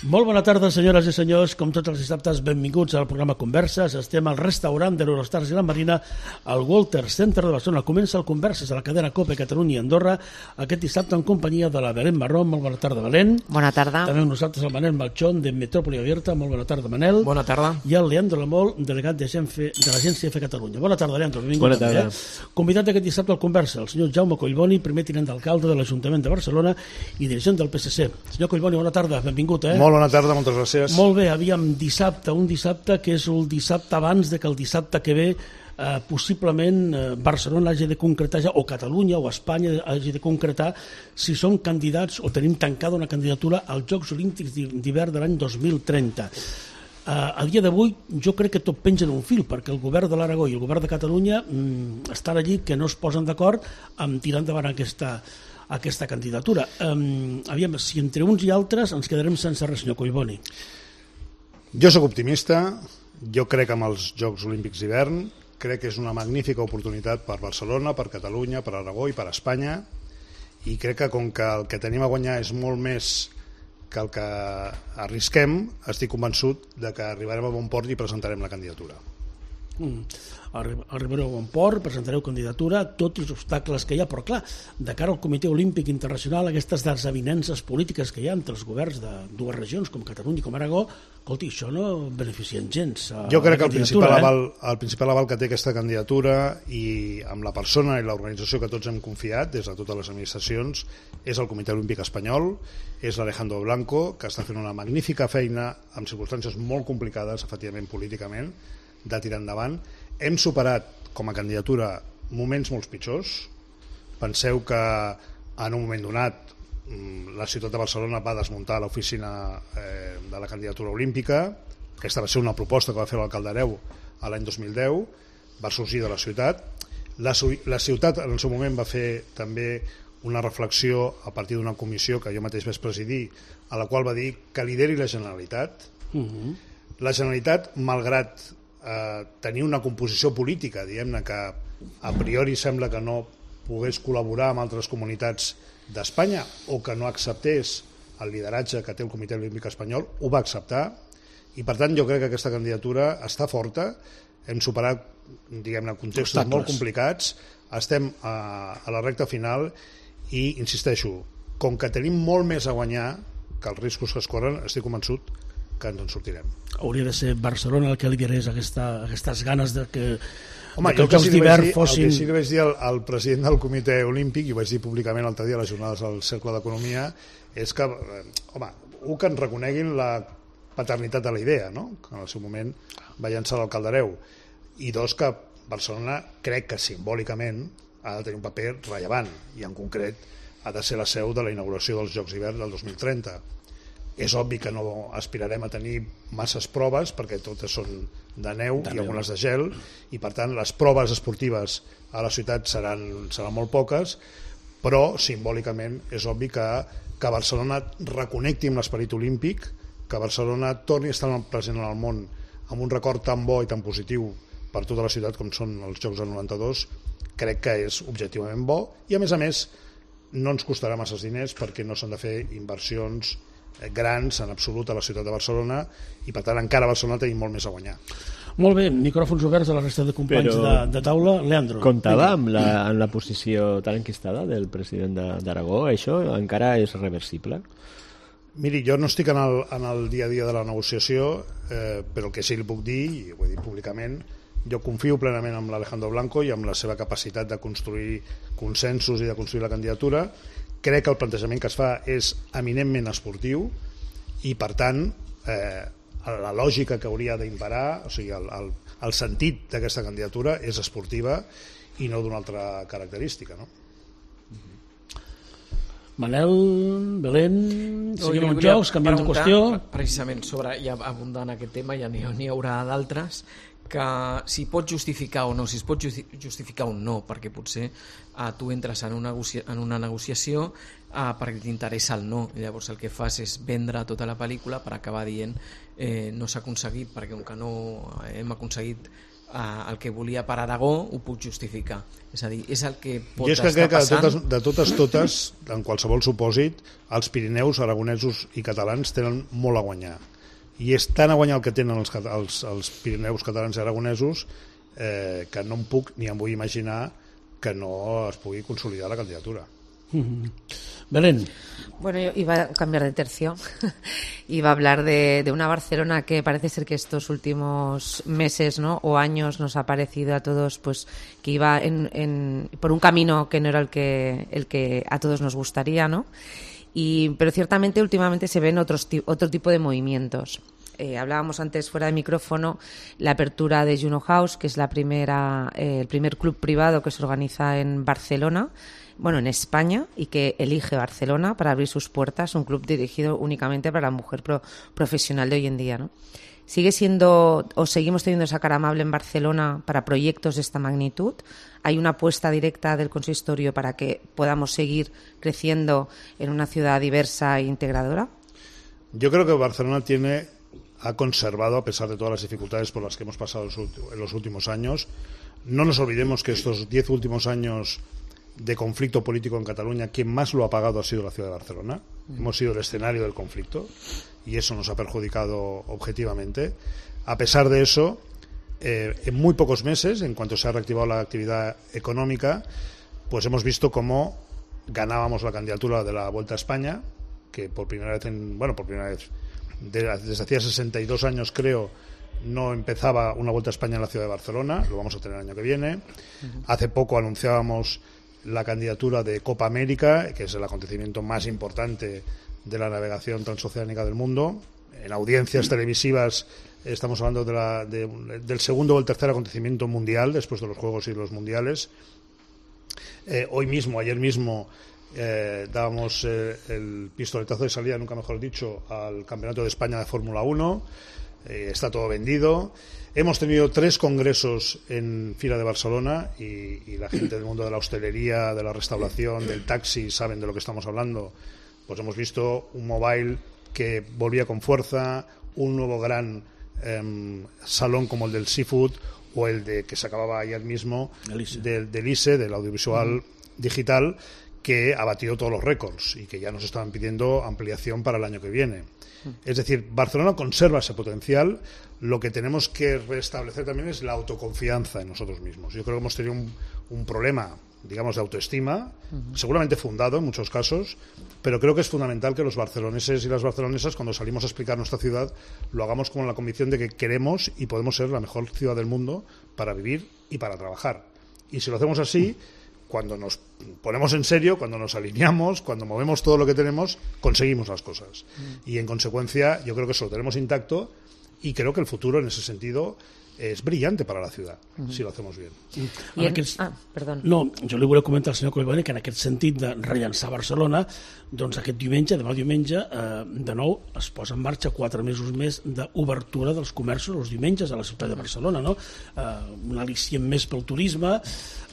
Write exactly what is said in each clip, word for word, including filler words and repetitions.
Molt bona tarda, senyores i senyors. Com tots els dissabtes, benvinguts al programa Converses. Estem al restaurant de l'Eurostars i la Marina, al Walter Center de Barcelona. Comença el Converses a la cadena COPE Catalunya i Andorra, aquest dissabte en companyia de la Belén Marrón. Molt bona tarda, Belén. Bona tarda. També amb nosaltres el Manel Malchón, de Metrópoli Abierta. Molt bona tarda, Manel. Bona tarda. I el Leandro Lamol, delegat de l'Agència F Catalunya. Bona tarda, Leandro. Benvingut. Bona tarda. També, eh? Convidat aquest dissabte al Conversa, el senyor Jaume Collboni, primer tinent d'alcalde de l'Ajuntament de Barcelona i dirigent del P S C. Senyor Collboni, bona tarda, benvingut. Eh? Molt bona tarda, moltes gràcies. Molt bé, aviam, dissabte, un dissabte que és el dissabte abans de que el dissabte que ve eh, possiblement eh, Barcelona hagi de concretar ja, o Catalunya o Espanya hagi de concretar si són candidats o tenim tancada una candidatura als Jocs Olímpics d'hivern de l'any dos mil trenta. Eh, a dia d'avui jo crec que tot penja en un fil, perquè el govern de l'Aragó i el govern de Catalunya mm, estan allí que no es posen d'acord amb tirar endavant aquesta aquesta candidatura. Um, aviam, si entre uns i altres ens quedarem sense res, senyor Collboni. Jo sóc optimista, jo crec en els Jocs Olímpics d'hivern, crec que és una magnífica oportunitat per Barcelona, per Catalunya, per Aragó i per Espanya, i crec que com que el que tenim a guanyar és molt més que el que arrisquem, estic convençut de que arribarem a bon port i presentarem la candidatura. Mm. Arribareu a bon port, presentareu candidatura, tots els obstacles que hi ha, però clar, de cara al Comitè Olímpic Internacional, aquestes desavinences polítiques que hi ha entre els governs de dues regions com Catalunya i com Aragó, escolti, això no beneficien gens. Jo crec que el principal, eh? aval, el principal aval que té aquesta candidatura i amb la persona i l'organització que tots hem confiat des de totes les administracions és el Comitè Olímpic Espanyol, és l'Alejandro Blanco, que està fent una magnífica feina en circumstàncies molt complicades, efectivament políticament, de tirar endavant. Hem superat com a candidatura moments molt pitjors. Penseu que en un moment donat la ciutat de Barcelona va desmuntar l'oficina eh, de la candidatura olímpica. Aquesta va ser una proposta que va fer l'alcalde Hereu l'any dos mil deu, va sorgir de la ciutat. La, la ciutat en el seu moment va fer també una reflexió a partir d'una comissió que jo mateix vaig presidir, a la qual va dir que lideri la Generalitat. Uh-huh. La Generalitat, malgrat Eh, tenir una composició política, diguem-ne, que a priori sembla que no pogués col·laborar amb altres comunitats d'Espanya o que no acceptés el lideratge que té el Comitè Olímpic Espanyol, ho va acceptar i per tant jo crec que aquesta candidatura està forta. Hem superat, diguem-ne, contextos molt complicats, estem a, a la recta final i insisteixo, com que tenim molt més a guanyar que els riscos que es corren, estic convençut que ens en sortirem. Hauria de ser Barcelona el que liderés aquesta, aquestes ganes de que, Home, de que els Jocs d'hivern fossin... El que sí que vaig dir al, al president del Comitè Olímpic, i ho vaig dir públicament l'altre dia a les jornades del Cercle d'Economia, és que, home, un, que ens reconeguin la paternitat de la idea, no? Que en el seu moment va llançar l'alcalde Hereu, i dos, que Barcelona crec que simbòlicament ha de tenir un paper rellevant, i en concret ha de ser la seu de la inauguració dels Jocs d'hivern del dos mil trenta. És obvi que no aspirarem a tenir masses proves perquè totes són de neu i algunes de gel i per tant les proves esportives a la ciutat seran, seran molt poques, però simbòlicament és obvi que, que Barcelona reconnecti amb l'esperit olímpic, que Barcelona torni a estar present en el món amb un record tan bo i tan positiu per tota la ciutat com són els Jocs del noranta-dos, crec que és objectivament bo i a més a més no ens costarà masses diners perquè no s'han de fer inversions grans en absolut a la ciutat de Barcelona i per tant encara a Barcelona tenim molt més a guanyar. Molt bé, micròfons oberts a la resta de companys de, de taula. Leandro. Comptava amb la, amb la posició tan enquistada del president d'Aragó? Això encara és reversible? Miri, jo no estic en el, en el dia a dia de la negociació, eh, però el que sí li puc dir, i ho he dit públicament, jo confio plenament en l'Alejandro Blanco i amb la seva capacitat de construir consensos i de construir la candidatura. Crec que el plantejament que es fa és eminentment esportiu i per tant eh, la lògica que hauria d'imperar, o sigui el, el, el sentit d'aquesta candidatura és esportiva i no d'una altra característica, no? Manel, Belén, seguim amb jocs, canviant de qüestió. Precisament sobre, ja abundant aquest tema, ja n'hi ha, haurà d'altres, que si pot justificar o no, si es pot justificar o no, perquè potser eh, tu entres en una, negocia en una negociació eh, perquè t'interessa el no, i llavors el que fas és vendre tota la pel·lícula per acabar dient eh, no s'ha aconseguit perquè com que no hem aconseguit el que volia per Aragó ho puc justificar. És a dir, és el que pot I és que estar crec que de passant. totes, de totes, totes, en qualsevol supòsit, els Pirineus, aragonesos i catalans tenen molt a guanyar. I és tan a guanyar el que tenen els, els, els Pirineus catalans i aragonesos eh, que no em puc ni em vull imaginar que no es pugui consolidar la candidatura. Mm-hmm. Belén. Bueno, yo iba a cambiar de tercio. Iba a hablar de, de una Barcelona que parece ser que estos últimos meses, ¿no?, o años nos ha parecido a todos pues que iba en, en, por un camino que no era el que, el que a todos nos gustaría, ¿no? Y, pero ciertamente últimamente se ven otros, otro tipo de movimientos. Eh, hablábamos antes fuera de micrófono la apertura de Juno House, que es la primera, eh, el primer club privado que se organiza en Barcelona, bueno, en España, y que elige Barcelona para abrir sus puertas, un club dirigido únicamente para la mujer pro, profesional de hoy en día, ¿no? ¿Sigue siendo o seguimos teniendo esa cara amable en Barcelona para proyectos de esta magnitud? ¿Hay una apuesta directa del consistorio para que podamos seguir creciendo en una ciudad diversa e integradora? Yo creo que Barcelona tiene, ha conservado, a pesar de todas las dificultades por las que hemos pasado en los últimos años. No nos olvidemos que estos diez últimos años de conflicto político en Cataluña, quien más lo ha pagado ha sido la ciudad de Barcelona. Hemos sido el escenario del conflicto y eso nos ha perjudicado objetivamente. A pesar de eso, eh, en muy pocos meses, en cuanto se ha reactivado la actividad económica, pues hemos visto cómo ganábamos la candidatura de la Vuelta a España, que por primera vez, en, bueno, por primera vez, de, desde hacía sesenta y dos años creo, no empezaba una Vuelta a España en la ciudad de Barcelona. Lo vamos a tener el año que viene. Uh-huh. Hace poco anunciábamos la candidatura de Copa América, que es el acontecimiento más importante de la navegación transoceánica del mundo. En audiencias televisivas estamos hablando de la, de, del segundo o el tercer acontecimiento mundial después de los Juegos y los Mundiales. Eh, hoy mismo, ayer mismo, eh, dábamos eh, el pistoletazo de salida, nunca mejor dicho, al Campeonato de España de Fórmula uno. Eh, está todo vendido. Hemos tenido tres congresos en Fira de Barcelona y, y la gente del mundo de la hostelería, de la restauración, del taxi saben de lo que estamos hablando. Pues hemos visto un mobile que volvía con fuerza, un nuevo gran eh, salón como el del seafood o el de que se acababa ayer mismo del, del I S E, del audiovisual uh-huh. digital, que ha batido todos los récords y que ya nos estaban pidiendo ampliación para el año que viene. Es decir, Barcelona conserva ese potencial. Lo que tenemos que restablecer también es la autoconfianza en nosotros mismos. Yo creo que hemos tenido un, un problema, digamos, de autoestima, uh-huh. seguramente fundado en muchos casos, pero creo que es fundamental que los barceloneses y las barcelonesas, cuando salimos a explicar nuestra ciudad, lo hagamos con la convicción de que queremos y podemos ser la mejor ciudad del mundo para vivir y para trabajar. Y si lo hacemos así, cuando nos ponemos en serio, cuando nos alineamos, cuando movemos todo lo que tenemos, conseguimos las cosas. Mm. Y en consecuencia, yo creo que eso lo tenemos intacto y creo que el futuro en ese sentido és brillante para la ciutat, mm-hmm. si lo hacemos bien. I en... aquests... Ah, perdó. No, jo li volia comentar al senyor Collboni que en aquest sentit de rellançar Barcelona, doncs aquest diumenge, demà diumenge, eh, de nou es posa en marxa quatre mesos més d'obertura dels comerços els diumenges a la ciutat de Barcelona, no? Eh, un al·licient més pel turisme.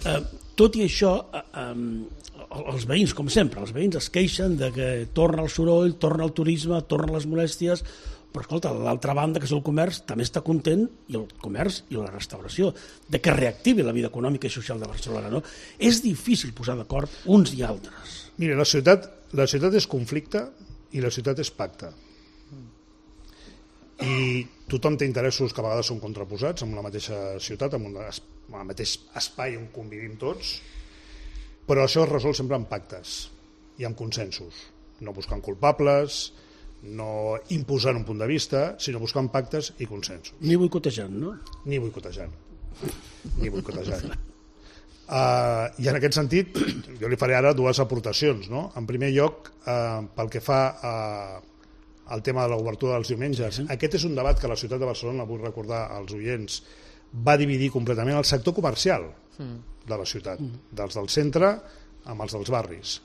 Eh, tot i això, eh, eh, els veïns, com sempre, els veïns es queixen de que torna el soroll, torna el turisme, tornen les molèsties, però escolta, l'altra banda, que és el comerç, també està content, i el comerç i la restauració, de que reactivi la vida econòmica i social de Barcelona, no? És difícil posar d'acord uns i altres. Mira, la ciutat, la ciutat és conflicte i la ciutat és pacte. I tothom té interessos que a vegades són contraposats en la mateixa ciutat, en, una, en el mateix espai on convivim tots, però això es resol sempre amb pactes i amb consensos, no buscant culpables, no imposant un punt de vista, sinó buscant pactes i consensos. Ni boicotejant, no? Ni boicotejant. Ni boicotejant. Uh, I en aquest sentit, jo li faré ara dues aportacions, no? En primer lloc, uh, pel que fa a, al tema de l'obertura dels diumenges, sí. Aquest és un debat que la ciutat de Barcelona, vull recordar als oients, va dividir completament el sector comercial mm. de la ciutat, mm. dels del centre amb els dels barris.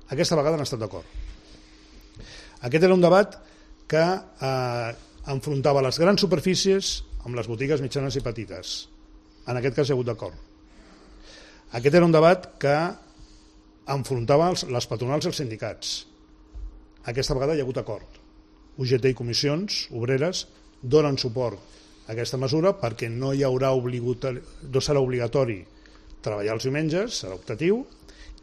Aquesta vegada han estat d'acord. Aquest era un debat que eh, enfrontava les grans superfícies amb les botigues mitjanes i petites. En aquest cas hi ha hagut d'acord. Aquest era un debat que enfrontava els, les patronals i els sindicats. Aquesta vegada hi ha hagut acord. U G T i comissions obreres donen suport aquesta mesura perquè no hi haurà obligatori, no serà obligatori treballar els diumenges, serà optatiu,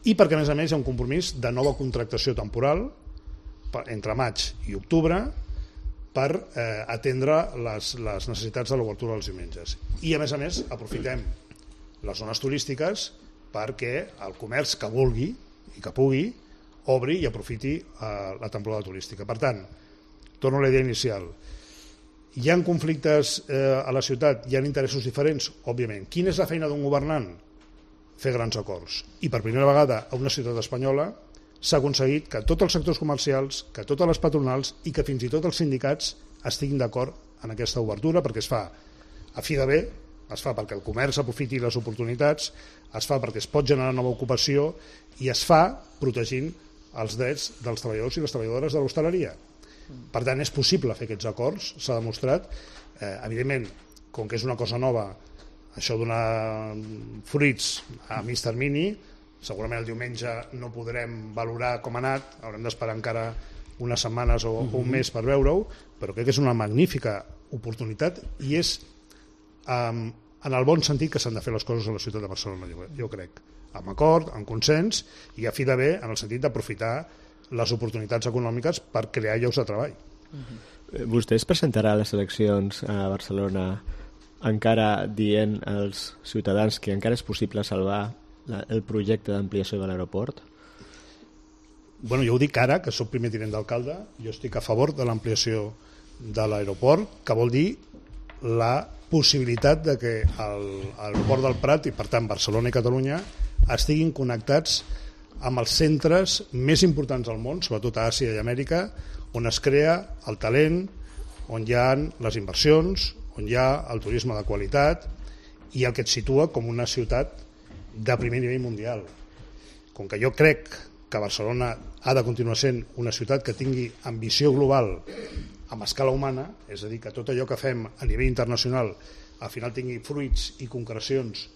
i perquè a més a més hi ha un compromís de nova contractació temporal entre maig i octubre per eh, atendre les, les necessitats de l'obertura dels diumenges. I a més a més aprofitem les zones turístiques perquè el comerç que vulgui i que pugui obri i aprofiti eh, la temporada turística. Per tant, torno a la idea inicial. Hi ha conflictes eh, a la ciutat, hi ha interessos diferents? Òbviament. Quina és la feina d'un governant? Fer grans acords. I per primera vegada a una ciutat espanyola s'ha aconseguit que tots els sectors comercials, que totes les patronals i que fins i tot els sindicats estiguin d'acord en aquesta obertura, perquè es fa a fi de bé, es fa perquè el comerç aprofiti les oportunitats, es fa perquè es pot generar nova ocupació i es fa protegint els drets dels treballadors i les treballadores de l'hostaleria. Per tant, és possible fer aquests acords, s'ha demostrat. Eh, evidentment, com que és una cosa nova, això donar fruits a mig termini, segurament el diumenge no podrem valorar com ha anat, haurem d'esperar encara unes setmanes o, uh-huh. o un mes per veure-ho, però crec que és una magnífica oportunitat i és um, en el bon sentit que s'han de fer les coses a la ciutat de Barcelona, jo, jo crec, amb acord, amb consens i a fi de bé en el sentit d'aprofitar les oportunitats econòmiques per crear llocs de treball. Uh-huh. Vostè es presentarà a les eleccions a Barcelona encara dient als ciutadans que encara és possible salvar la, el projecte d'ampliació de l'aeroport? Bueno, jo ho dic ara, que soc primer tinent d'alcalde, jo estic a favor de l'ampliació de l'aeroport, que vol dir la possibilitat de que l'aeroport del Prat i per tant Barcelona i Catalunya estiguin connectats amb els centres més importants del món, sobretot a Àsia i Amèrica, on es crea el talent, on hi ha les inversions, on hi ha el turisme de qualitat i el que et situa com una ciutat de primer nivell mundial. Com que jo crec que Barcelona ha de continuar sent una ciutat que tingui ambició global amb escala humana, és a dir, que tot allò que fem a nivell internacional al final tingui fruits i concrecions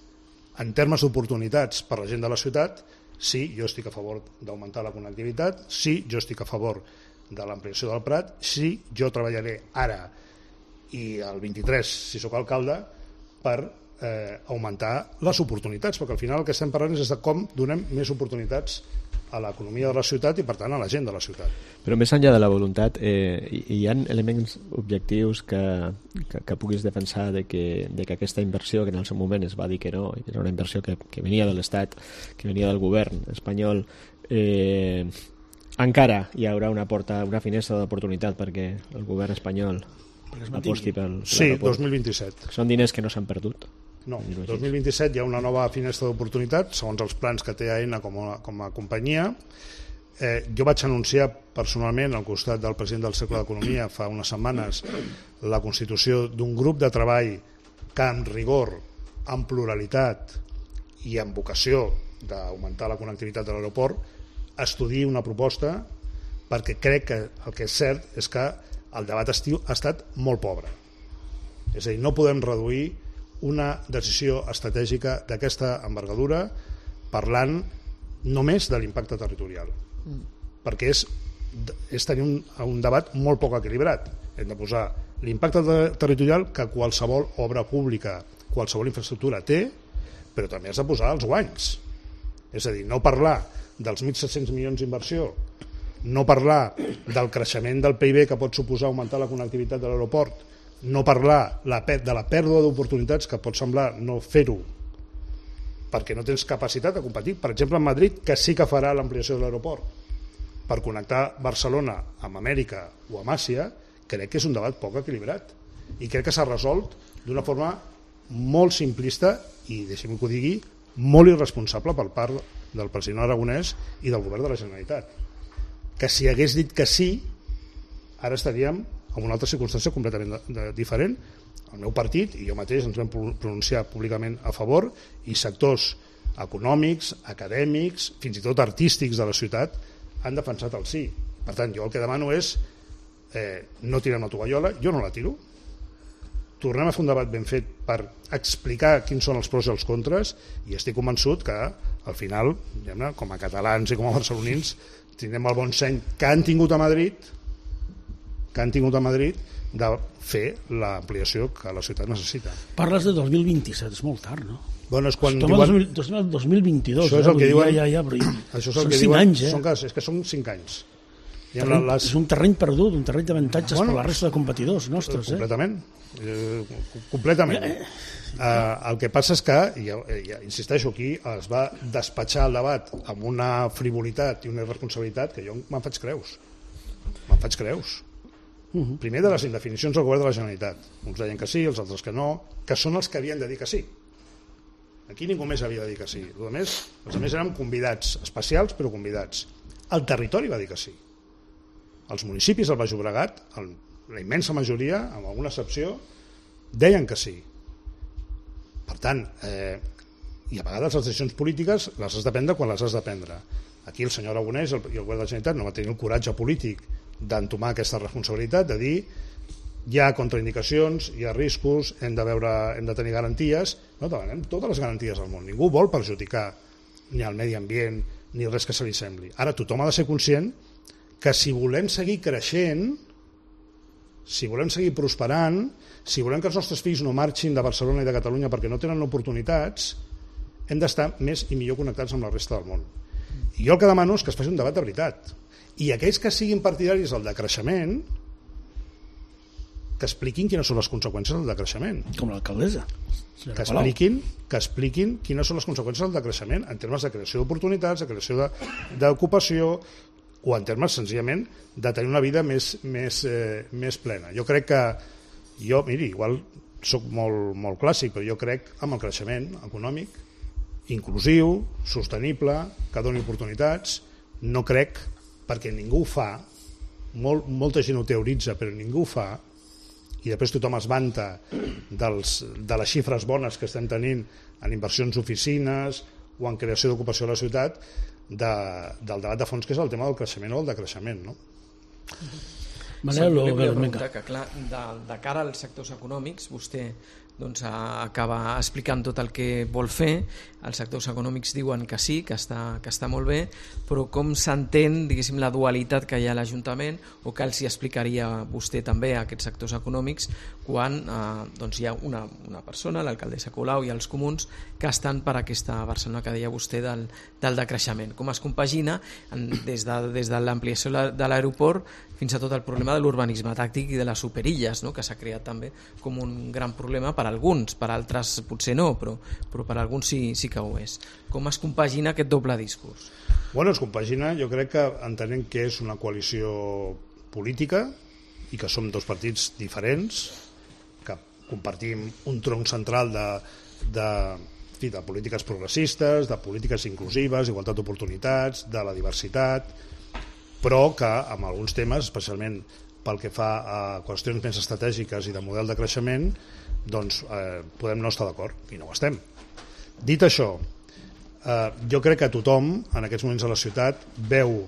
en termes d'oportunitats per a la gent de la ciutat, sí, jo estic a favor d'augmentar la connectivitat, sí, jo estic a favor de l'ampliació del Prat, sí, jo treballaré ara i el vint-i-tres, si sóc alcalde, per eh, augmentar les oportunitats, perquè al final el que estem parlant és de com donem més oportunitats a l'economia de la ciutat i per tant a la gent de la ciutat. Però més enllà de la voluntat, eh, hi ha elements objectius que, que, que puguis defensar de que, de que aquesta inversió, que en el seu moment es va dir que no, que era una inversió que, que venia de l'Estat, que venia del govern espanyol, eh, encara hi haurà una porta, una finestra d'oportunitat perquè el govern espanyol aposti pel, pel sí, dos mil vint-i-set. Són diners que no s'han perdut? No, dos mil vint-i-set hi ha una nova finestra d'oportunitat segons els plans que té Aena com a, com a companyia. Eh, jo vaig anunciar personalment al costat del president del Cercle d'Economia fa unes setmanes la constitució d'un grup de treball que amb rigor, amb pluralitat i amb vocació d'augmentar la connectivitat de l'aeroport estudiï una proposta, perquè crec que el que és cert és que el debat estiu ha estat molt pobre. És a dir, no podem reduir una decisió estratègica d'aquesta envergadura parlant només de l'impacte territorial, mm. perquè és, és tenir un, un debat molt poc equilibrat. Hem de posar l'impacte territorial que qualsevol obra pública, qualsevol infraestructura té, però també has de posar els guanys. És a dir, no parlar dels mil set-cents milions d'inversió, no parlar del creixement del P I B que pot suposar augmentar la connectivitat de l'aeroport, no parlar de la pèrdua d'oportunitats que pot semblar no fer-ho perquè no tens capacitat de competir. Per exemple, en Madrid, que sí que farà l'ampliació de l'aeroport per connectar Barcelona amb Amèrica o amb Àsia, crec que és un debat poc equilibrat i crec que s'ha resolt d'una forma molt simplista i, deixem que ho digui, molt irresponsable per part del president Aragonès i del govern de la Generalitat, que si hagués dit que sí ara estaríem en una altra circumstància completament de, de, diferent. El meu partit i jo mateix ens vam pronunciar públicament a favor i sectors econòmics, acadèmics, fins i tot artístics de la ciutat han defensat el sí. Per tant, jo el que demano és eh, no tirar una tovallola, jo no la tiro, tornem a fer un debat ben fet per explicar quins són els pros i els contres i estic convençut que al final, com a catalans i com a barcelonins, tindrem el bon seny que han tingut a Madrid que han tingut a Madrid de fer l'ampliació que la ciutat necessita. Parles de dos mil vint-i-set, és molt tard, no? Bueno, és quan Estem diuen... al dos mil vint-i-dos, això és el eh? que diuen... Ja, ja, ja, però això és el són que cinc diuen... anys, eh? Són, és que són cinc anys. Terreny, les... És un terreny perdut, un terreny d'avantatges bueno, per la resta de competidors nostres. Completament. Eh? Completament. Eh, el que passa és que, i, i, insisteixo aquí, es va despatxar el debat amb una frivolitat i una irresponsabilitat que jo me'n faig creus. Me'n faig creus. Uh -huh. Primer de les indefinicions del govern de la Generalitat. Uns deien que sí, els altres que no, que són els que havien de dir que sí. Aquí ningú més havia de dir que sí. Els més, els més eren convidats, especials però convidats. El territori va dir que sí. Els municipis del Baix Llobregat, el, la immensa majoria, amb alguna excepció, deien que sí. Per tant, eh, i a vegades les decisions polítiques les has de prendre quan les has de prendre. Aquí el senyor Aragonès i el, i el govern de la Generalitat no va tenir el coratge polític d'entomar aquesta responsabilitat, de dir hi ha contraindicacions, hi ha riscos, hem de, veure, hem de tenir garanties. No demanem totes les garanties del món. Ningú vol perjudicar ni el medi ambient ni res que se li sembli. Ara tothom ha de ser conscient que si volem seguir creixent, si volem seguir prosperant, si volem que els nostres fills no marxin de Barcelona i de Catalunya perquè no tenen oportunitats, hem d'estar més i millor connectats amb la resta del món. I jo el que demano és que es faci un debat de veritat. I aquells que siguin partidaris del decreixement, que expliquin quines són les conseqüències del decreixement. Com l'alcaldessa. Que expliquin, que expliquin quines són les conseqüències del decreixement en termes de creació d'oportunitats, de creació d'ocupació, o en termes senzillament de tenir una vida més, més, eh, més plena. Jo crec que, jo, miri, igual soc molt, molt clàssic, però jo crec en el creixement econòmic, inclusiu, sostenible, que doni oportunitats. No crec, perquè ningú ho fa, molt, molta gent ho teoritza, però ningú ho fa, i després tothom es vanta dels, de les xifres bones que estem tenint en inversions d'oficines o en creació d'ocupació a la ciutat, de, del debat de fons que és el tema del creixement o el decreixement, no? Manel, sí, volia preguntar que, clar, de, de cara als sectors econòmics, vostè doncs, acaba explicant tot el que vol fer. Els sectors econòmics diuen que sí, que està, que està molt bé, però com s'entén, diguéssim, la dualitat que hi ha a l'Ajuntament, o que els hi explicaria vostè també a aquests sectors econòmics quan eh, doncs hi ha una, una persona, l'alcaldessa Colau i els comuns, que estan per aquesta Barcelona que deia vostè del, del decreixement. Com es compagina en, des de, des de l'ampliació de l'aeroport fins a tot el problema de l'urbanisme tàctic i de les superilles, no? Que s'ha creat també com un gran problema per alguns, per altres potser no, però, però per alguns sí, sí que ho és. Com es compagina aquest doble discurs? Bueno, es compagina, jo crec que entenem que és una coalició política i que som dos partits diferents, que compartim un tronc central de, de, de polítiques progressistes, de polítiques inclusives, igualtat d'oportunitats, de la diversitat, però que en alguns temes, especialment pel que fa a qüestions més estratègiques i de model de creixement, doncs eh, podem no estar d'acord, i no ho estem. Dit això, eh, jo crec que tothom en aquests moments a la ciutat veu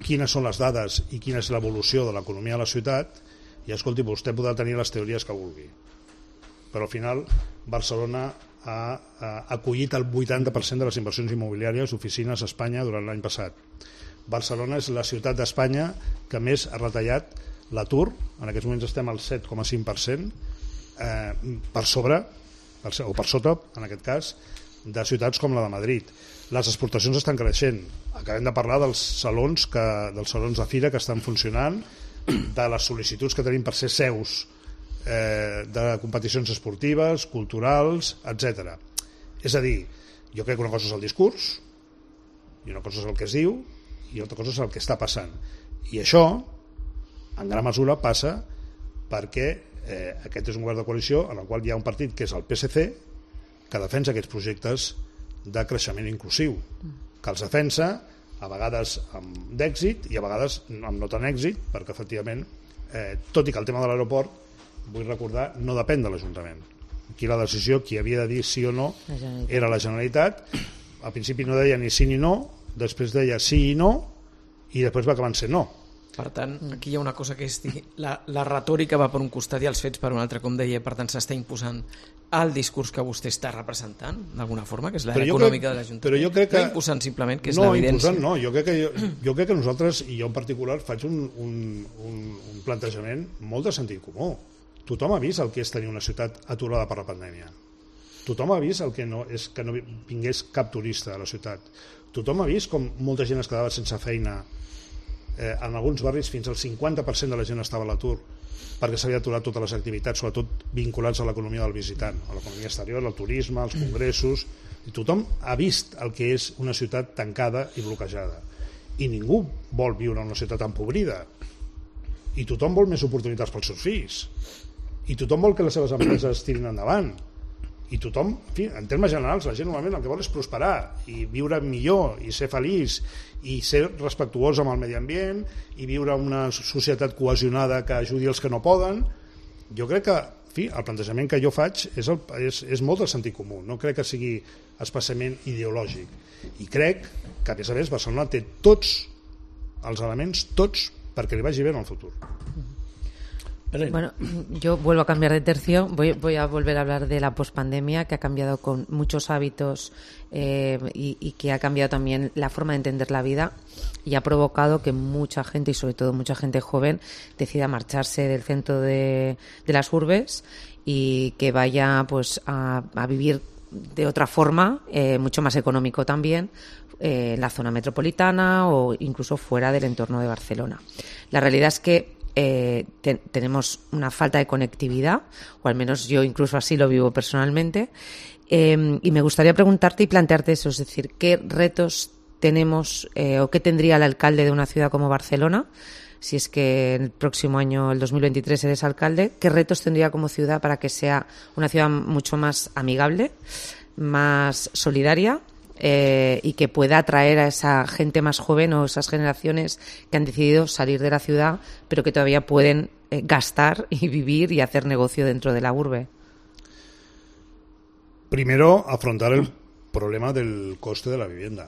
quines són les dades i quina és l'evolució de l'economia de la ciutat, i escolti, vostè podrà tenir les teories que vulgui, però al final Barcelona ha, ha acollit el vuitanta per cent de les inversions immobiliàries d'oficines a Espanya durant l'any passat. Barcelona és la ciutat d'Espanya que més ha retallat l'atur, en aquests moments estem al set coma cinc per cent, eh, per sobre, o per sota, en aquest cas, de ciutats com la de Madrid. Les exportacions estan creixent. Acabem de parlar dels salons, que, dels salons de fira que estan funcionant, de les sol·licituds que tenim per ser seus eh, de competicions esportives, culturals, etcètera. És a dir, jo crec que una cosa és el discurs, i una cosa és el que es diu, i altra cosa és el que està passant. I això, en gran mesura, passa perquè eh, aquest és un govern de coalició en el qual hi ha un partit que és el P S C que defensa aquests projectes de creixement inclusiu, que els defensa a vegades amb d'èxit i a vegades amb no tan èxit, perquè efectivament, eh, tot i que el tema de l'aeroport, vull recordar, no depèn de l'Ajuntament. Aquí la decisió, qui havia de dir sí o no, era la Generalitat. Al principi no deia ni sí ni no, després deia sí i no, i després va acabar sent no. Per tant, aquí hi ha una cosa que és la, la retòrica va per un costat i els fets per un altre, com deia, per tant s'està imposant el discurs que vostè està representant d'alguna forma, que és l'àrea econòmica de l'Ajuntament. Però jo crec que... No imposant simplement, que és no, l'evidència. Imposant, no, jo crec, que jo, jo crec que nosaltres, i jo en particular, faig un, un, un, un plantejament molt de sentit comú. Tothom ha vist el que és tenir una ciutat aturada per la pandèmia. Tothom ha vist el que no és que no vingués cap turista a la ciutat. Tothom ha vist com molta gent es quedava sense feina. Eh, en alguns barris fins al cinquanta per cent de la gent estava a l'atur perquè s'havia aturat totes les activitats, sobretot vinculats a l'economia del visitant, a l'economia exterior, al turisme, als congressos. I tothom ha vist el que és una ciutat tancada i bloquejada. I ningú vol viure en una ciutat empobrida. I tothom vol més oportunitats pels seus fills. I tothom vol que les seves empreses tirin endavant. I tothom, en fi, en termes generals, la gent normalment el que vol és prosperar i viure millor i ser feliç i ser respectuós amb el medi ambient i viure en una societat cohesionada que ajudi els que no poden. Jo crec que, en fi, el plantejament que jo faig és, el, és, és molt del sentit comú, no crec que sigui especialment ideològic. I crec que, a més a més, Barcelona té tots els elements, tots, perquè li vagi bé en el futur. Bueno, yo vuelvo a cambiar de tercio. Voy, voy a volver a hablar de la pospandemia, que ha cambiado con muchos hábitos eh, y, y que ha cambiado también la forma de entender la vida y ha provocado que mucha gente, y sobre todo mucha gente joven, decida marcharse del centro de, de las urbes y que vaya pues a, a vivir de otra forma, eh, mucho más económico también, eh, en la zona metropolitana o incluso fuera del entorno de Barcelona. La realidad es que Eh, te, tenemos una falta de conectividad, o al menos yo incluso así lo vivo personalmente, eh, y me gustaría preguntarte y plantearte eso, es decir, ¿qué retos tenemos eh, o qué tendría el alcalde de una ciudad como Barcelona, si es que el próximo año, el dos mil veintitrés, eres alcalde, qué retos tendría como ciudad para que sea una ciudad mucho más amigable, más solidaria, Eh, y que pueda atraer a esa gente más joven o esas generaciones que han decidido salir de la ciudad pero que todavía pueden eh, gastar y vivir y hacer negocio dentro de la urbe? Primero, afrontar el problema del coste de la vivienda,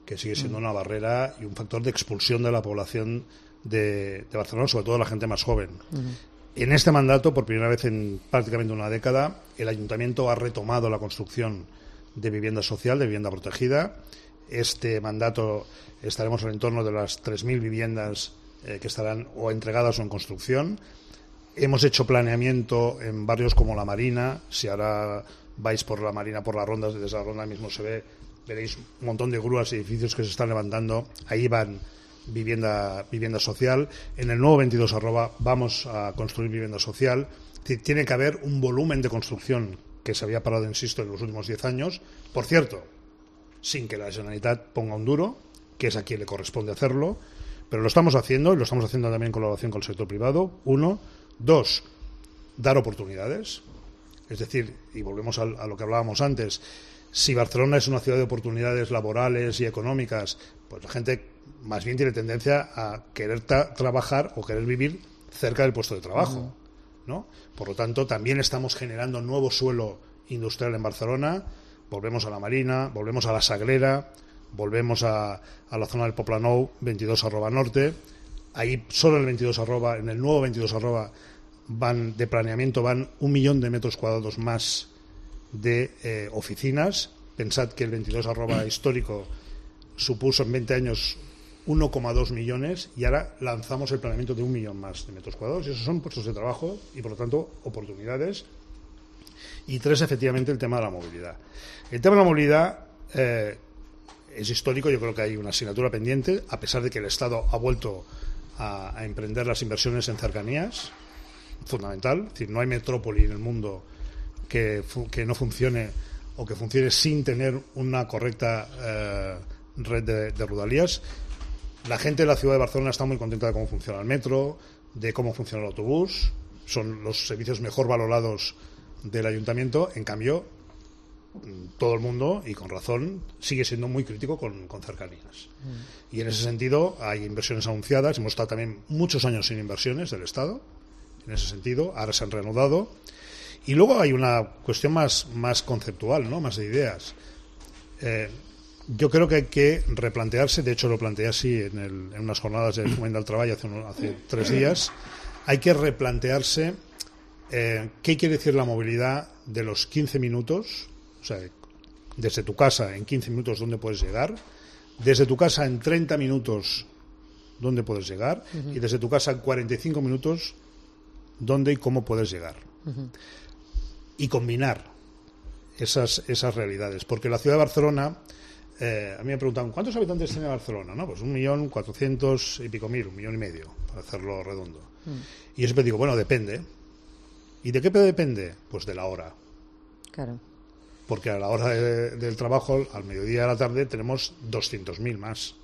que sigue siendo una barrera y un factor de expulsión de la población de, de Barcelona, sobre todo la gente más joven. Uh-huh. En este mandato, por primera vez en prácticamente una década, el Ayuntamiento ha retomado la construcción de vivienda social, de vivienda protegida. Este mandato estaremos en el entorno de las tres mil viviendas eh, que estarán o entregadas o en construcción. Hemos hecho planeamiento en barrios como La Marina. Si ahora vais por La Marina, por las rondas, desde la ronda mismo se ve, veréis un montón de grúas y edificios que se están levantando. Ahí van vivienda, vivienda social. En el nuevo veintidós arroba vamos a construir vivienda social. Tiene que haber un volumen de construcción que se había parado, insisto, en los últimos diez años. Por cierto, sin que la Generalitat ponga un duro, que es a quien le corresponde hacerlo, pero lo estamos haciendo y lo estamos haciendo también en colaboración con el sector privado. Uno. Dos, dar oportunidades. Es decir, y volvemos a, a lo que hablábamos antes, si Barcelona es una ciudad de oportunidades laborales y económicas, pues la gente más bien tiene tendencia a querer tra- trabajar o querer vivir cerca del puesto de trabajo. Uh-huh. ¿No? Por lo tanto, también estamos generando nuevo suelo industrial en Barcelona. Volvemos a La Marina, volvemos a La Sagrera, volvemos a, a la zona del Poblenou, veintidós arroba norte. Ahí solo en el veintidós arroba, en el nuevo veintidós arroba van de planeamiento van un millón de metros cuadrados más de eh, oficinas. Pensad que el veintidós arroba histórico supuso en veinte años uno coma dos millones y ahora lanzamos el planeamiento de un millón más de metros cuadrados y esos son puestos de trabajo y por lo tanto oportunidades. Y tres, efectivamente, el tema de la movilidad. El tema de la movilidad eh, es histórico. Yo creo que hay una asignatura pendiente, a pesar de que el Estado ha vuelto a, a emprender las inversiones en cercanías, fundamental. Es decir, no hay metrópoli en el mundo que, fu- que no funcione o que funcione sin tener una correcta eh, red de, de rodalías. La gente de la ciudad de Barcelona está muy contenta de cómo funciona el metro, de cómo funciona el autobús. Son los servicios mejor valorados del ayuntamiento. En cambio, todo el mundo, y con razón, sigue siendo muy crítico con, con cercanías. Mm. Y en ese sentido hay inversiones anunciadas. Hemos estado también muchos años sin inversiones del Estado, en ese sentido. Ahora se han reanudado. Y luego hay una cuestión más, más conceptual, ¿no? Más de ideas. Eh, yo creo que hay que replantearse, de hecho lo planteé así en, el, en unas jornadas de Fomento del Trabajo hace, uno, hace tres días, hay que replantearse eh, qué quiere decir la movilidad de los quince minutos, o sea, desde tu casa en quince minutos dónde puedes llegar, desde tu casa en treinta minutos dónde puedes llegar, uh-huh. y desde tu casa en cuarenta y cinco minutos dónde y cómo puedes llegar. Uh-huh. Y combinar esas, esas realidades, porque la ciudad de Barcelona, eh, a mí me preguntan ¿cuántos habitantes tiene Barcelona? No, pues un millón cuatrocientos y pico mil, un millón y medio, para hacerlo redondo. Uh-huh. Y yo siempre digo, bueno, depende. ¿Y de qué depende? Pues de la hora. Claro. Porque a la hora de, del trabajo, al mediodía de la tarde, tenemos doscientos mil más.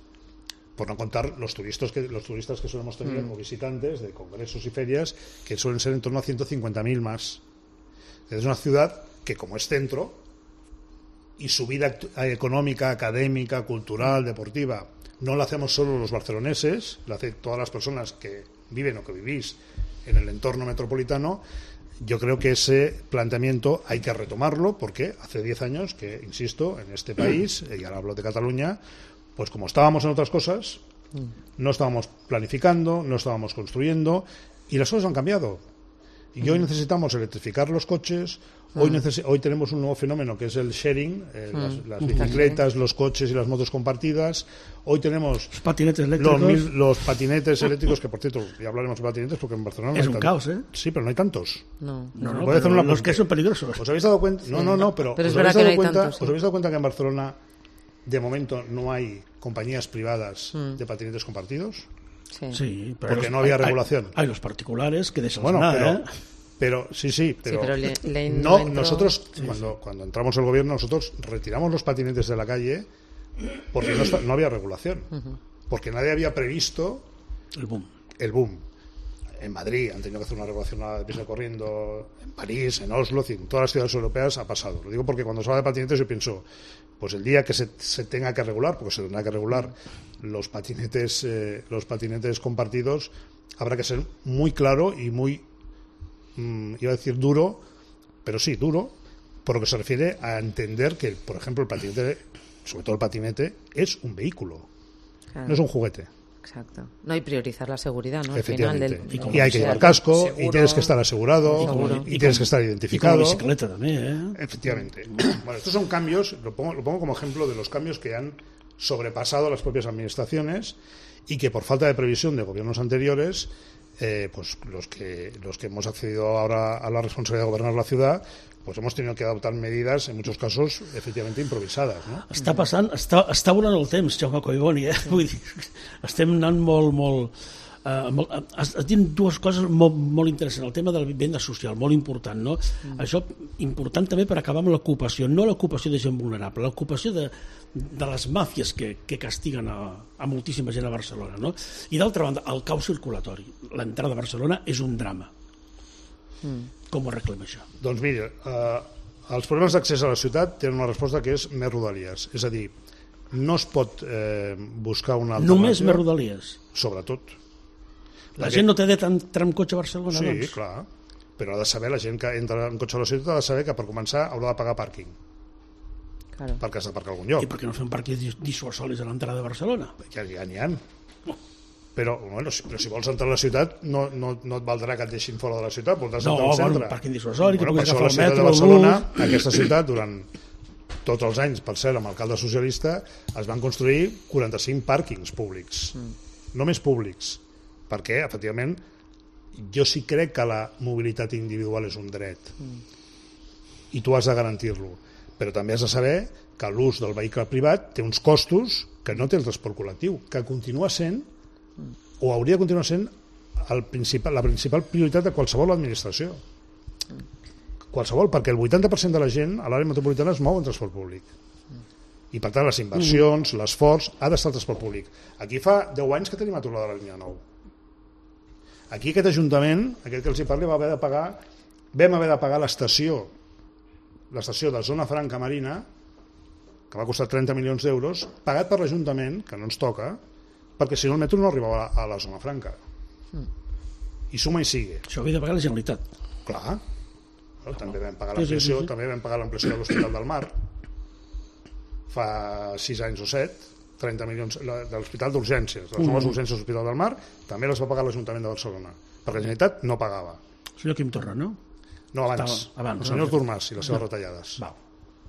Por no contar los turistas que, los turistas que solemos tener mm. o visitantes de congresos y ferias, que suelen ser en torno a ciento cincuenta mil más. Es una ciudad que, como es centro, y su vida económica, académica, cultural, deportiva, no la hacemos solo los barceloneses, la hacen todas las personas que viven o que vivís en el entorno metropolitano. Yo creo que ese planteamiento hay que retomarlo porque hace diez años que, insisto, en este país, y ahora hablo de Cataluña, pues como estábamos en otras cosas, no estábamos planificando, no estábamos construyendo y las cosas han cambiado. Y hoy necesitamos electrificar los coches, hoy, neces- hoy tenemos un nuevo fenómeno que es el sharing, eh, las, las bicicletas, los coches y las motos compartidas. Hoy tenemos los patinetes eléctricos, los, mil, los patinetes eléctricos, que por cierto, ya hablaremos de patinetes porque en Barcelona no es hay un tantos. caos, ¿eh? Sí, pero no hay tantos. No, no, no Puede hacer una los que son peligrosos. ¿Os habéis dado cuenta? Sí. No, no, no, pero, pero ¿os, es habéis verdad dado que no hay cuenta, tantos, sí. ¿os habéis dado cuenta que en Barcelona de momento no hay compañías privadas mm. de patinetes compartidos? Sí, sí pero porque los, no había hay, regulación. Hay, hay los particulares que de eso bueno, nada, pero, ¿eh? pero sí, sí, pero, sí, pero le, le no, entró... nosotros sí, cuando, sí. cuando entramos al gobierno nosotros retiramos los patinetes de la calle porque no, no había regulación, uh-huh. porque nadie había previsto el boom. El boom. En Madrid han tenido que hacer una regulación a deprisa corriendo, en París, en Oslo, en todas las ciudades europeas ha pasado. Lo digo porque cuando se habla de patinetes yo pienso, pues el día que se, se tenga que regular, porque se tendrá que regular los patinetes, eh, los patinetes compartidos, habrá que ser muy claro y muy, mmm, iba a decir duro, pero sí, duro, por lo que se refiere a entender que, por ejemplo, el patinete, sobre todo el patinete, es un vehículo, claro. No es un juguete. Exacto. No, y priorizar la seguridad, ¿no? Al Efectivamente. final del, y, y hay que llevar casco, seguro, y tienes que estar asegurado, seguro. y, y tienes que estar identificado. Y con la bicicleta también, ¿eh? Efectivamente. Bueno, estos son cambios, lo pongo, lo pongo como ejemplo de los cambios que han sobrepasado las propias administraciones y que por falta de previsión de gobiernos anteriores, eh, pues los que los que hemos accedido ahora a la responsabilidad de gobernar la ciudad, pues hemos tenido que adoptar medidas, en muchos casos, efectivament improvisades. No? Està passant, està, està volant el temps, Jaume Collboni, eh? Vull dir, estem anant molt, molt... Uh, molt has, has dit dues coses molt, molt interessants. El tema de la vivenda social, molt important, no? Mm. Això important també per acabar amb l'ocupació, no l'ocupació de gent vulnerable, l'ocupació de, de les màfies que, que castiguen a, a moltíssima gent a Barcelona, no? I d'altra banda, el caos circulatori. L'entrada a Barcelona és un drama. Mm. Com ho arreglem això? Doncs mira, eh, els problemes d'accés a la ciutat tenen una resposta que és més rodalies. És a dir, no es pot eh, buscar una alternativa... Només més rodalies? Sobretot. La, la gent que... no té dret a entrar amb cotxe a Barcelona, sí, doncs? Sí, clar. Però ha de saber, la gent que entra en cotxe a la ciutat ha de saber que per començar haurà de pagar pàrquing. Claro. Perquè has de parcar a algun lloc. I per què no fem parquings dissuasoris a l'entrada de Barcelona? Ja n'hi ha. Però, bueno, si, però si vols entrar a la ciutat no, no, no et valdrà que et deixin fora de la ciutat, voldràs no, entrar al centre. No, un parking dissuasori, bueno, que puguis agafar el metro, de Barcelona, aquesta ciutat, durant tots els anys, per cert, amb l'alcalde socialista, es van construir quaranta-cinc pàrquings públics, mm. només públics, perquè, efectivament, jo sí crec que la mobilitat individual és un dret, mm. i tu has de garantir-lo, però també has de saber que l'ús del vehicle privat té uns costos que no té el transport col·lectiu, que continua sent o hauria de continuar sent el principal, la principal prioritat de qualsevol administració. Qualsevol, perquè el vuitanta per cent de la gent a l'àrea metropolitana es mou en transport públic. I per tant les inversions, l'esforç, ha d'estar el transport públic. Aquí fa deu anys que tenim aturada la línia nou. Aquí aquest Ajuntament, aquest que els hi parli, va haver de pagar, vam haver de pagar l'estació, l'estació de Zona Franca Marina, que va costar trenta milions d'euros, pagat per l'Ajuntament, que no ens toca, perquè si no el metro no arribava a la zona franca. Mm. I suma i sigue. Això havia de pagar la Generalitat. Clar. Bueno, també vam pagar l'ampliació, sí, sí, sí. també vam pagar l'ampliació de l'Hospital del Mar. fa sis anys o set, trenta milions de l'Hospital d'Urgències, les noves urgències de l'Hospital del Mar, també les va pagar l'Ajuntament de Barcelona, perquè la Generalitat no pagava. El senyor Quim Torra, no? No, abans, Estava, abans el senyor no? Artur Mas i les seves retallades. Val.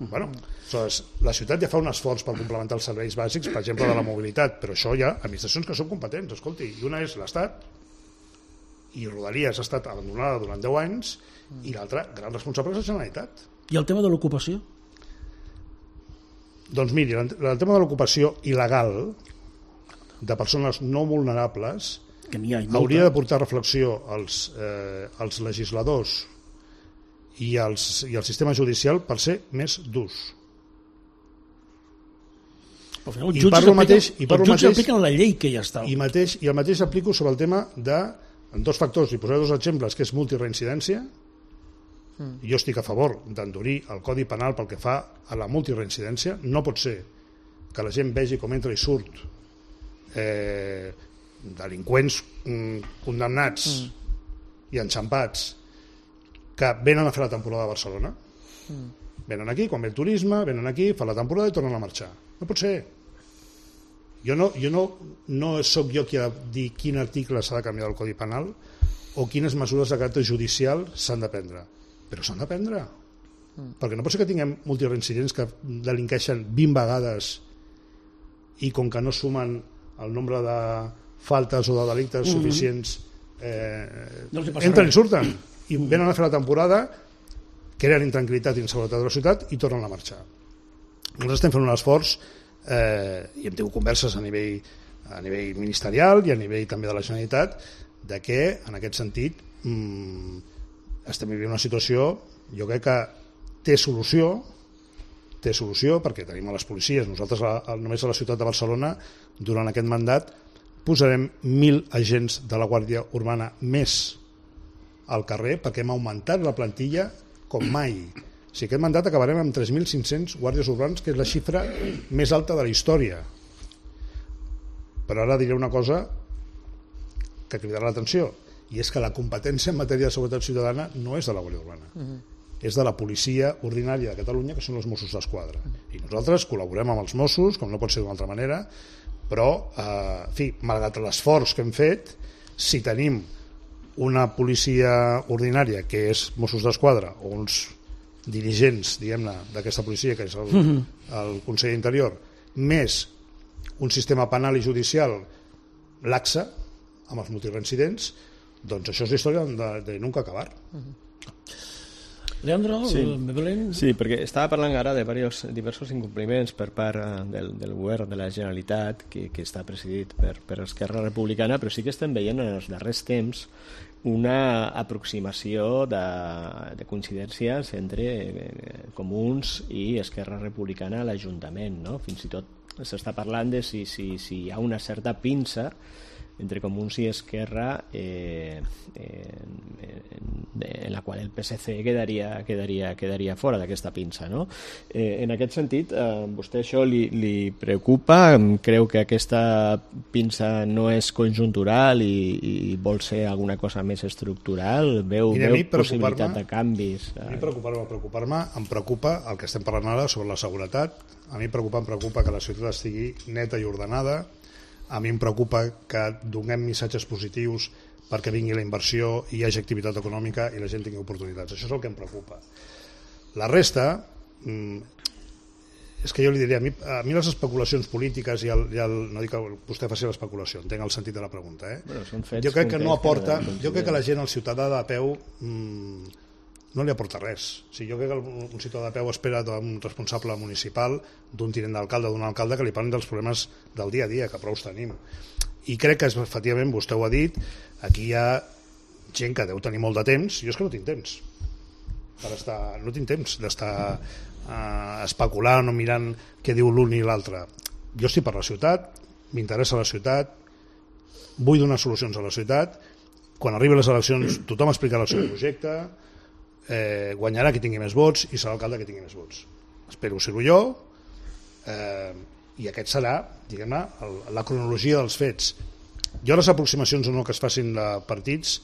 Bueno, aleshores, la ciutat ja fa un esforç per complementar els serveis bàsics, per exemple, de la mobilitat, però això hi ha administracions que són competents, escolti, i una és l'Estat, i Rodalies ha estat abandonada durant deu anys, i l'altra, gran responsable, és la Generalitat. I el tema de l'ocupació? Doncs miri, el tema de l'ocupació il·legal de persones no vulnerables Que n'hi ha molta. hauria de portar reflexió als, eh, als legisladors i, els, i el sistema judicial per ser més durs. Al final, I els jutges parlo apliquen- mateix- i parlo els jutges mateix- apliquen la llei que ja està. I, mateix, I el mateix aplico sobre el tema de en dos factors, i posaré dos exemples, que és multireincidència. Mm. Jo estic a favor d'endurir el Codi Penal pel que fa a la multireincidència. No pot ser que la gent vegi com entra i surt eh, delinqüents mm, condemnats mm. i enxampats que venen a fer la temporada a Barcelona. Mm. Venen aquí, quan ve el turisme, venen aquí, fan la temporada i tornen a marxar. No pot ser. Jo no, jo no, no sóc jo qui ha de dir quin article s'ha de canviar del Codi Penal o quines mesures de caràcter judicial s'han de prendre. Però s'han de prendre. Mm. Perquè no pot ser que tinguem multireincidents que delinqueixen vint vegades i com que no sumen el nombre de faltes o de delictes mm-hmm. suficients eh, no entren i surten i venen a fer la temporada, creen intranquil·litat i inseguretat de la ciutat i tornen a marxar. Nosaltres estem fent un esforç eh, i hem tingut converses a nivell, a nivell ministerial i a nivell també de la Generalitat de que en aquest sentit mmm, estem vivint una situació, jo crec que té solució té solució perquè tenim a les policies. Nosaltres a, a, només a la ciutat de Barcelona durant aquest mandat posarem mil agents de la Guàrdia Urbana més al carrer perquè hem augmentat la plantilla com mai. O sigui, aquest mandat acabarem amb tres mil cinc-cents guàrdies urbans, que és la xifra més alta de la història. Però ara diré una cosa que cridarà l'atenció, i és que la competència en matèria de seguretat ciutadana no és de la Guàrdia Urbana. Uh-huh. És de la policia ordinària de Catalunya, que són els Mossos d'Esquadra. I nosaltres col·laborem amb els Mossos, com no pot ser d'una altra manera, però, eh, en fi, malgrat l'esforç que hem fet, si tenim una policia ordinària, que és Mossos d'Esquadra, o uns dirigents, diguem-ne, d'aquesta policia, que és el, el conseller d'Interior, més un sistema penal i judicial laxa, amb els multireincidents, doncs això és la història de, de nunca acabar. Leandro, sí. Belén... Sí, perquè estava parlant ara de varios, diversos incompliments per part del, del govern de la Generalitat, que, que està presidit per, per Esquerra Republicana, però sí que estem veient en els darrers temps una aproximació de, de coincidències entre Comuns i Esquerra Republicana a l'Ajuntament, no? Fins i tot s'està parlant de si, si, si hi ha una certa pinça entre Comuns i Esquerra eh, eh, en, en la qual el P S C quedaria, quedaria, quedaria fora d'aquesta pinça, no? Eh, en aquest sentit, eh, vostè això li, li preocupa? Creu que aquesta pinça no és conjuntural i, i vol ser alguna cosa més estructural? Veu, Mira, veu possibilitat de canvis? A mi preocupar-me, preocupar-me, em preocupa el que estem parlant ara sobre la seguretat. A mi preocupa, em preocupa que la ciutat estigui neta i ordenada. A mi em preocupa que donem missatges positius perquè vingui la inversió i hi hagi activitat econòmica i la gent tingui oportunitats. Això és el que em preocupa. La resta, és que jo li diria, a mi, a mi les especulacions polítiques, i el, i el, no dic que vostè faci l'especulació, entenc el sentit de la pregunta, eh? Bueno, són fets jo crec que no aporta, que jo crec que la gent, el ciutadà de peu, mmm, no li aporta res. O sigui, jo crec que un ciutadà de peu espera d'un responsable municipal, d'un tinent d'alcalde, d'un alcalde, que li parlin dels problemes del dia a dia, que prou tenim. I crec que, efectivament, vostè ho ha dit, aquí hi ha gent que deu tenir molt de temps. Jo és que no tinc temps per estar, no tinc temps d'estar eh, especulant o mirant què diu l'un i l'altre. Jo estic per la ciutat, m'interessa la ciutat, vull donar solucions a la ciutat. Quan arriben les eleccions tothom explicarà el seu projecte, eh, guanyarà qui tingui més vots i serà l'alcalde que tingui més vots. Espero ser-ho jo, eh, i aquest serà, diguem-ne, la cronologia dels fets. Jo les aproximacions o no que es facin de partits,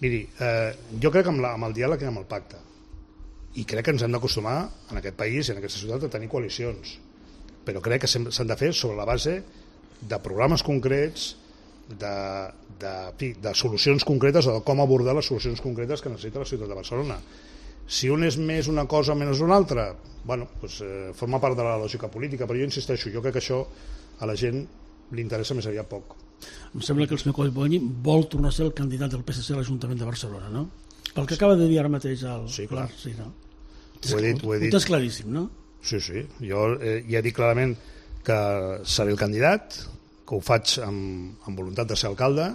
miri, eh, jo crec que amb, la, amb el diàleg i amb el pacte, i crec que ens hem d'acostumar en aquest país i en aquesta ciutat a tenir coalicions, però crec que s'han de fer sobre la base de programes concrets, de, de, de solucions concretes o de com abordar les solucions concretes que necessita la ciutat de Barcelona. Si un és més una cosa o menys una altra, bueno, doncs, eh, forma part de la lògica política, però jo insisteixo, jo crec que això a la gent li interessa més aviat poc. Em sembla que el senyor Collboni vol tornar a ser el candidat del P S C a l'Ajuntament de Barcelona, no? Pel que acaba de dir ara mateix el... Sí, clar. Sí, no? Ho he dit, ho he dit. Ho tens claríssim, no? Sí, sí. Jo eh, ja he dit clarament que seré el candidat, que ho faig amb, amb voluntat de ser alcalde,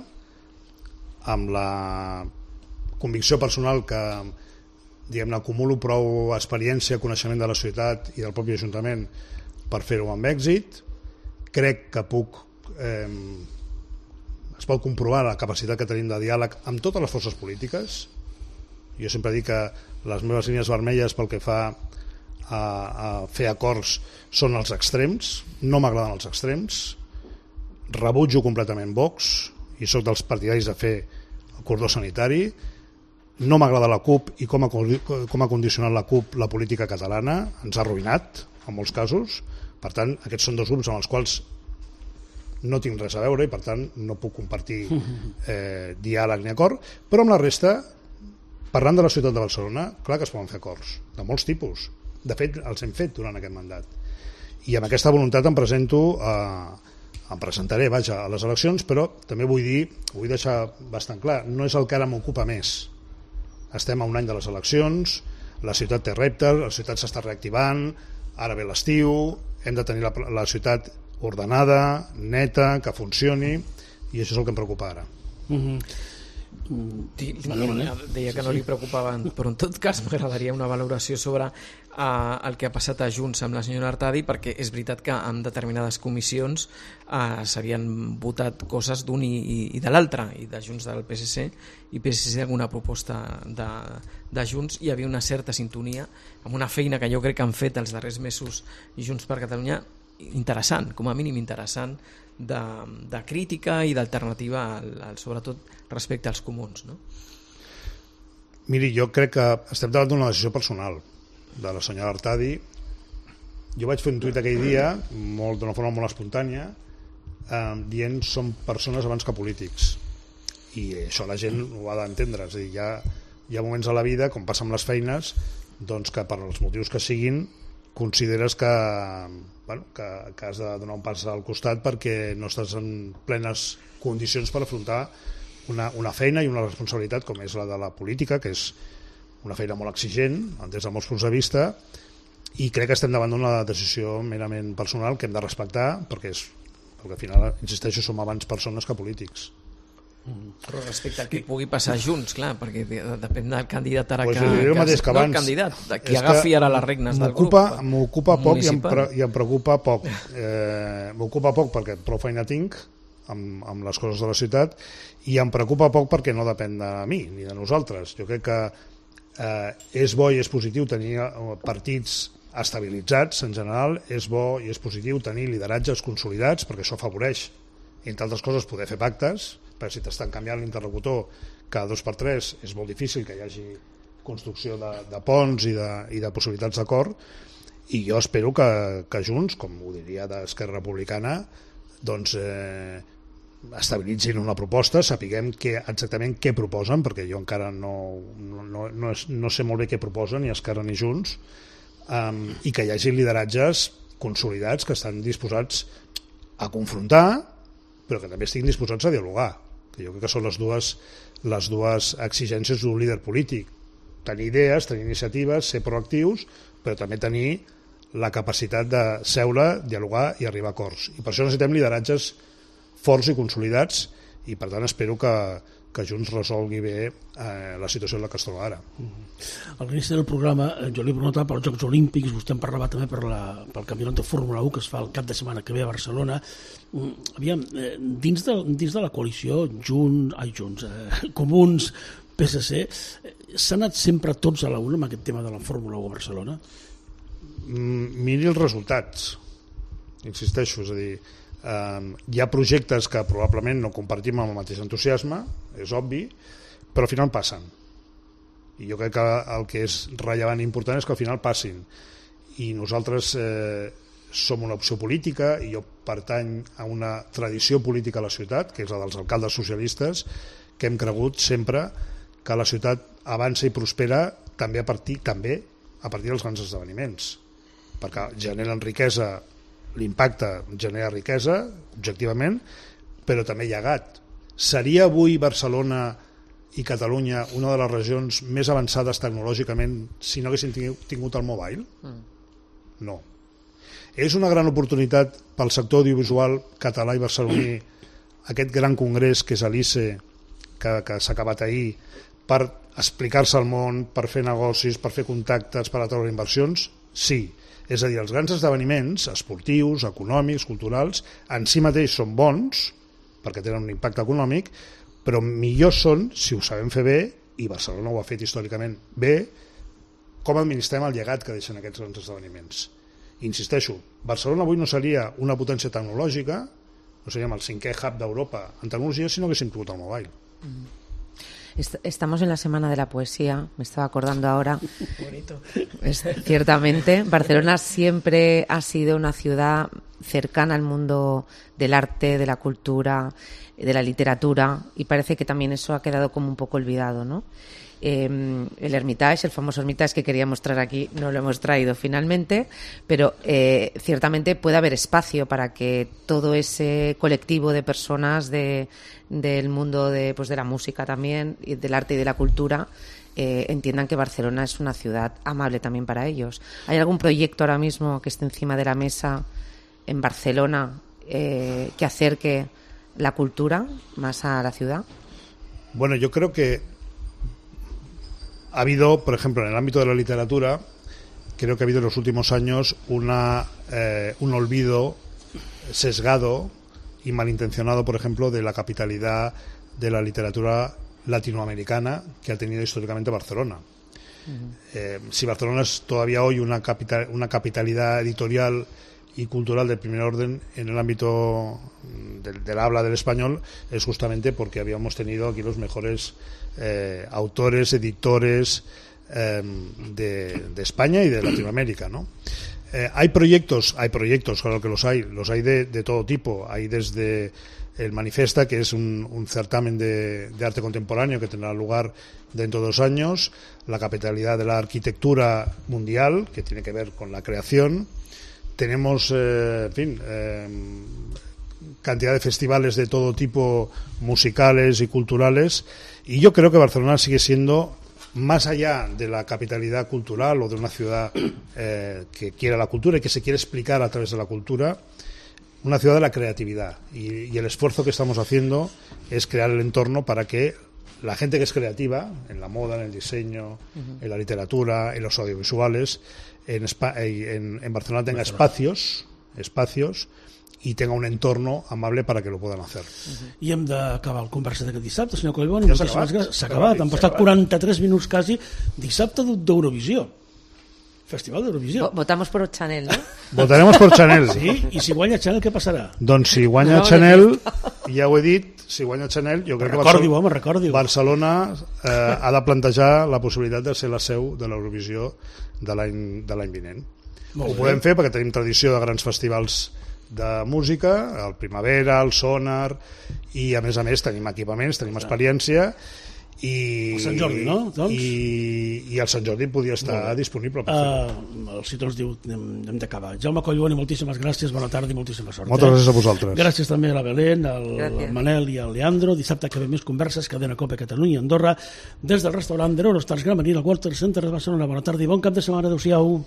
amb la convicció personal que diguem-ne, acumulo prou experiència, coneixement de la ciutat i del propi Ajuntament per fer-ho amb èxit. Crec que puc eh, es pot comprovar la capacitat que tenim de diàleg amb totes les forces polítiques. Jo sempre dic que les meves línies vermelles pel que fa a, a fer acords són els extrems, no m'agraden els extrems, rebutjo completament Vox i sóc dels partidaris de fer el cordó sanitari. No m'agrada la CUP i com ha, com ha condicionat la CUP la política catalana, ens ha arruïnat en molts casos. Per tant, aquests són dos grups amb els quals no tinc res a veure i per tant no puc compartir eh, diàleg ni acord, però amb la resta, parlant de la ciutat de Barcelona, clar que es poden fer acords, de molts tipus. De fet, els hem fet durant aquest mandat. I amb aquesta voluntat em presento a em presentaré, vaja, a les eleccions, però també vull dir, vull deixar bastant clar, no és el que ara m'ocupa més. Estem a un any de les eleccions, la ciutat té reptes, la ciutat s'està reactivant, ara ve l'estiu, hem de tenir la, la ciutat ordenada, neta, que funcioni, i això és el que em preocupa ara. Mm-hmm. Deia que no li preocupaven, però en tot cas m'agradaria una valoració sobre uh, el que ha passat a Junts amb la senyora Artadi, perquè és veritat que en determinades comissions uh, s'havien votat coses d'un i, i, i de l'altre, i de Junts del P S C i P S C alguna proposta de, de Junts. Hi havia una certa sintonia amb una feina que jo crec que han fet els darrers mesos Junts per Catalunya interessant, com a mínim interessant, de, de crítica i d'alternativa al, al, sobretot respecte als comuns, no? Miri, jo crec que estem davant d'una decisió personal de la senyora Artadi. Jo vaig fer un tuit aquell dia molt, d'una forma molt espontània eh, dient som persones abans que polítics, i això la gent ho ha d'entendre. És a dir, hi ha, hi ha moments a la vida, com passa amb les feines, doncs que per als motius que siguin consideres que, bueno, que, que has de donar un pas al costat perquè no estàs en plenes condicions per afrontar una, una feina i una responsabilitat com és la de la política, que és una feina molt exigent des de molts punts de vista, i crec que estem davant d'una decisió merament personal que hem de respectar, perquè, és, perquè al final, insisteixo, som abans persones que polítics. Però respecte al que pugui passar Junts, clar, perquè depèn del candidat ara pues que, el mateix que no abans, el candidat, qui agafi ara les regnes del grup m'ocupa poc i em, pre, i em preocupa poc eh, m'ocupa poc perquè prou feina tinc amb, amb les coses de la ciutat, i em preocupa poc perquè no depèn de mi ni de nosaltres. Jo crec que eh, és bo i és positiu tenir partits estabilitzats en general, és bo i és positiu tenir lideratges consolidats perquè això afavoreix, entre altres coses, poder fer pactes, perquè si t'estan canviant l'interlocutor cada dos per tres és molt difícil que hi hagi construcció de, de ponts i de, i de possibilitats d'acord, i jo espero que, que Junts, com ho diria d'Esquerra Republicana, doncs eh, estabilitzin una proposta, sapiguem que, exactament què proposen, perquè jo encara no, no, no, no, és, no sé molt bé què proposen, ni Esquerra ni Junts, um, i que hi hagi lideratges consolidats que estan disposats a confrontar, però que també estiguin disposats a dialogar, que jo crec que són les dues, les dues exigències d'un líder polític: tenir idees, tenir iniciatives, ser proactius, però també tenir la capacitat de seure, dialogar i arribar a acords. I per això necessitem lideratges forts i consolidats, i per tant espero que, que Junts resolgui bé eh, la situació en la que es troba ara. A l'inici del programa jo li he preguntat pels Jocs Olímpics, vostè en parlava també per la, pel campionat de Fórmula u que es fa el cap de setmana que ve a Barcelona. Aviam, dins de, dins de la coalició Junts, ai, Junts, eh, Comuns, P S C, s'ha anat sempre tots a la una amb aquest tema de la Fórmula u a Barcelona? Mm, miri els resultats, insisteixo, és a dir, Um, hi ha projectes que probablement no compartim amb el mateix entusiasme, és obvi, però al final passen, i jo crec que el que és rellevant i important és que al final passin, i nosaltres eh, som una opció política i jo pertany a una tradició política a la ciutat, que és la dels alcaldes socialistes, que hem cregut sempre que la ciutat avança i prospera també a partir també a partir dels grans esdeveniments, perquè generen riquesa, l'impacte genera riquesa, objectivament, però també llegat. Seria avui Barcelona i Catalunya una de les regions més avançades tecnològicament si no haguessin tingut el mobile? No. És una gran oportunitat pel sector audiovisual català i barceloní aquest gran congrés que és l'I C E, que, que s'ha acabat ahir, per explicar-se al món, per fer negocis, per fer contactes, per atraure inversions? Sí. És a dir, els grans esdeveniments esportius, econòmics, culturals, en si mateix són bons, perquè tenen un impacte econòmic, però millor són si ho sabem fer bé, i Barcelona ho ha fet històricament bé, com administrem el llegat que deixen aquests grans esdeveniments. Insisteixo, Barcelona avui no seria una potència tecnològica, no seríem el cinquè hub d'Europa en tecnologia si no haguéssim tingut el mobile. Estamos en la Semana de la Poesía, me estaba acordando ahora. Bonito. Es, ciertamente, Barcelona siempre ha sido una ciudad cercana al mundo del arte, de la cultura, de la literatura, y parece que también eso ha quedado como un poco olvidado, ¿no? Eh, el Hermitage, el famoso Hermitage que quería mostrar aquí, no lo hemos traído finalmente, pero eh, ciertamente puede haber espacio para que todo ese colectivo de personas de, del mundo de, pues de la música también, y del arte y de la cultura, eh, entiendan que Barcelona es una ciudad amable también para ellos. ¿Hay algún proyecto ahora mismo que esté encima de la mesa en Barcelona eh, que acerque la cultura más a la ciudad? Bueno, yo creo que ha habido, por ejemplo, en el ámbito de la literatura, creo que ha habido en los últimos años una, eh, un olvido sesgado y malintencionado, por ejemplo, de la capitalidad de la literatura latinoamericana que ha tenido históricamente Barcelona. Uh-huh. Eh, si Barcelona es todavía hoy una, capital, una capitalidad editorial y cultural de primer orden en el ámbito del, del habla del español, es justamente porque habíamos tenido aquí los mejores eh, autores, editores eh, de, de España y de Latinoamérica, ¿no? Eh, hay proyectos, hay proyectos, claro que los hay, los hay de, de todo tipo. Hay desde el Manifesta, que es un, un certamen de, de arte contemporáneo que tendrá lugar dentro de dos años, la capitalidad de la arquitectura mundial, que tiene que ver con la creación. Tenemos, eh, en fin, eh, cantidad de festivales de todo tipo, musicales y culturales, y yo creo que Barcelona sigue siendo, más allá de la capitalidad cultural o de una ciudad eh, que quiere la cultura y que se quiere explicar a través de la cultura, una ciudad de la creatividad, y, y el esfuerzo que estamos haciendo es crear el entorno para que la gente que es creativa, en la moda, en el diseño, uh-huh. en la literatura, en los audiovisuales, en, en, en Barcelona tenga espacios, espacios i tenga un entorno amable para que lo puedan hacer. Uh-huh. I hem d'acabar el conversa d'aquest dissabte, senyor Collboni. Ja s'ha acabat. S'ha acabat, han passat quaranta-tres minuts quasi. Dissabte d'Eurovisió. Festival d'Eurovisió. Votamos por Chanel, ¿no? Votaremos por Chanel. Sí, i si guanya Chanel, què passarà? Doncs si guanya no, Chanel, ja ho he dit, si guanya Chanel, jo crec recordi-ho, que home, recordi-ho. Barcelona eh, ha de plantejar la possibilitat de ser la seu de l'Eurovisió de l'any de l'any vinent. Ho podem fer perquè tenim tradició de grans festivals de música, el Primavera, el Sonar, i a més a més tenim equipaments, tenim experiència, i el Sant Jordi, no? Doncs? I, i el Sant Jordi podria estar disponible per fer-ho. Uh, el Citró ens diu hem, hem d'acabar. Jaume Collboni, moltíssimes gràcies, bona tarda i moltíssima sort. Moltes eh? gràcies a vosaltres. Gràcies també a la Belén, al gràcies. Manel i al Leandro. Dissabte que ve més converses, Cadena Cope Catalunya i Andorra, des del restaurant de l'Eurostars Gran Marina, al Walter Center de Barcelona. Bona tarda i bon cap de setmana. Adéu-siau.